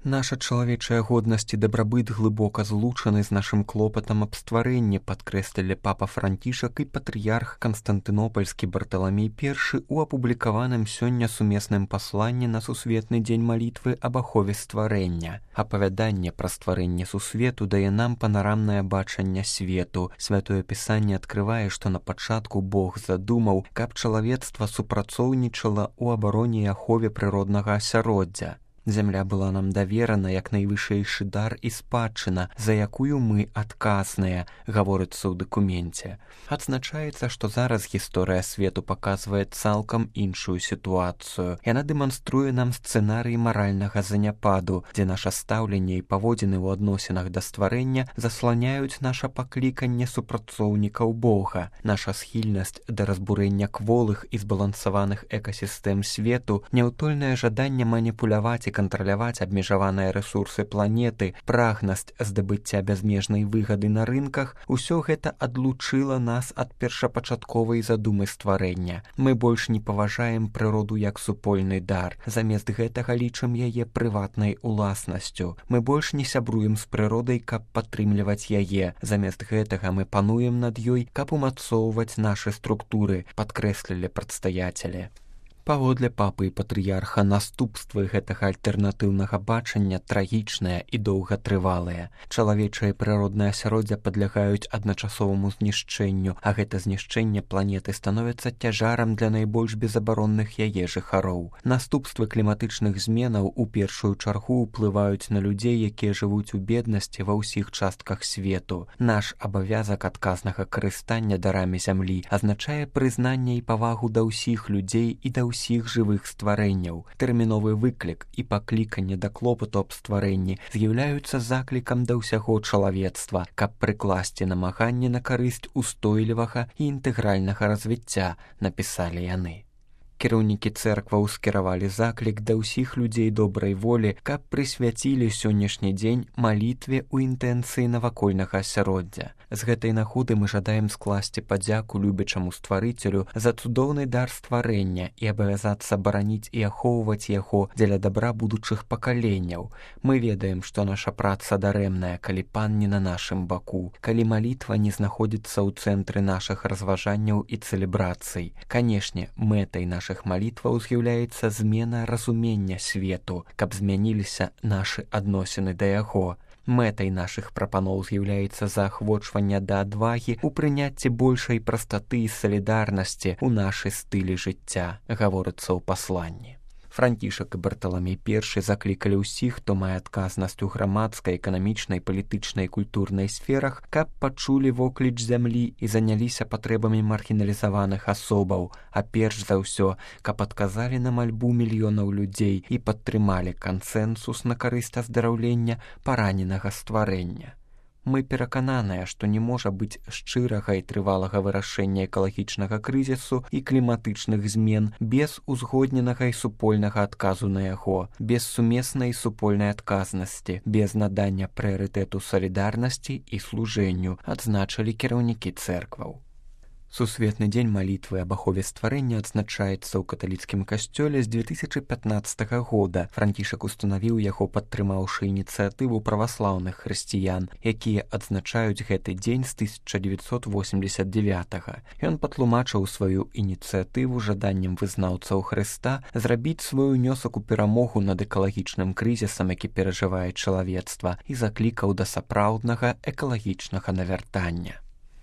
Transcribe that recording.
Наша чалавечая годнасць і дабрабыт глыбока злучаны з нашым клопатам аб стварэнні, падкрэслілі папа Францішак і патрыярх Канстантынопальскі Барталамей I у апублікаваным сёння сумесным пасланні на Сусветны дзень малітвы аб ахове стварэння. Апавяданне пра стварэнне сусвету дае нам панарамнае бачанне свету. Святое Пісанне адкрывае, што на пачатку Бог задумаў, каб чалавецтва супрацоўнічала ў абароне і ахове прыроднага асяроддзя. Зямля была нам даверана як найвышэйшы дар і спадчына, за якую мы адказныя, гаворыцца ў дакуменце. Адзначаецца, што зараз гісторыя свету паказвае цалкам іншую сітуацыю. Яна дэманструе нам сцэнарый маральнага заняпаду, дзе наша стаўленне і паводзіны ў адносінах да стварэння засланяюць наша пакліканне супрацоўнікаў Бога. Наша схільнасць да разбурэння кволых і збалансаваных экасістэм свету, няўтольнае жаданне маніпуляваць і кантраляваць абмежаваныя рэсурсы планеты, прагнасць здабыцця бязмежнай выгады на рынках, усё гэта адлучыла нас ад першапачатковай задумы стварэння. Мы больш не паважаем прыроду як супольны дар, замест гэтага лічым яе прыватнай уласнасцю. Мы больш не сябруем з прыродай, каб падтрымліваць яе, замест гэтага мы пануем над ёй, каб умацоўваць нашы структуры, падкрэслілі прадстаяцелі. Паводле папы і патрыярха наступствы гэтага альтэрнатыўнага бачання трагічныя і доўгатрывалыя. Чалавечае прыроднае асяроддзе падлягаюць адначасоваму знішчэнню, а гэта знішчэнне планеты становіцца цяжарам для найбольш безабаронных яе жыхароў. Наступствы кліматычных зменаў у першую чаргу ўплываюць на людзей, якія жывуць у беднасці ва ўсіх частках свету. Наш абавязак адказнага карыстання дарамі зямлі азначае прызнанне і павагу да ўсіх людзей і да ўсіх жывых стварэнняў. Тэрміновы выклік і пакліканне да клопату аб стварэнні з'яўляюцца заклікам да ўсяго чалавецтва, каб прыкласці намаганне на карысць устойлівага і інтэгральнага развіцця, напісалі яны. Кіраўнікі цэркваў скіравалі заклік да ўсіх людзей добрай волі, каб прысвяцілі сённяшні дзень малітве ў інтэнцыі навакольнага асяроддзя. З гэтай нагоды мы жадаем скласці падзяку любячаму стварыцелю за цудоўны дар стварэння і абавязацца бараніць і ахоўваць яго дзеля дабра будучых пакаленняў. Мы ведаем, што наша праца дарэмная, калі пан не на нашым баку, калі малітва не знаходзіцца ў цэнтры нашых разважанняў і цэлебрацый. Канешне, мэтай нашых малітваў з'яўляецца змена разумення свету, каб змяніліся нашы адносіны да яго. Мэтай нашых прапаноў з'яўляецца заахвочванне да адвагі ў прыняцці большай прастаты і салідарнасці ў нашы стылі жыцця, гаворыцца ў пасланні. Францішак і Барталамей I заклікалі ўсіх, хто мае адказнасць у грамадскай, эканамічнай, палітычнай і культурнай сферах, каб пачулі вокліч зямлі і заняліся патрэбамі маргіналізаваных асобаў, а перш за ўсё, каб адказалі на мальбу мільёнаў людзей і падтрымалі кансэнсус на карысць аздараўлення параненага стварэння. Мы перакананыя, што не можа быць шчырага і трывалага вырашэння экалагічнага крызісу і кліматычных змен без узгодненага і супольнага адказу на яго, без сумеснай супольнай адказнасці, без надання прыярытэту салідарнасці і служэнню, адзначылі кіраўнікі цэркваў. Сусветны дзень малітвы аб ахове стварэння адзначаецца ў каталіцкім касцёле з 2015 года. Францішак устанавіў яго, падтрымаўшы ініцыятыву праваслаўных хрысціян, якія адзначаюць гэты дзень з 1989. Ён патлумачыў сваю ініцыятыву жаданнем вызнаўцаў Хрыста зрабіць свой унёсак у перамогу над экалагічным крызісам, які перажывае чалавецтва, і заклікаў да сапраўднага экалагічнага навяртання.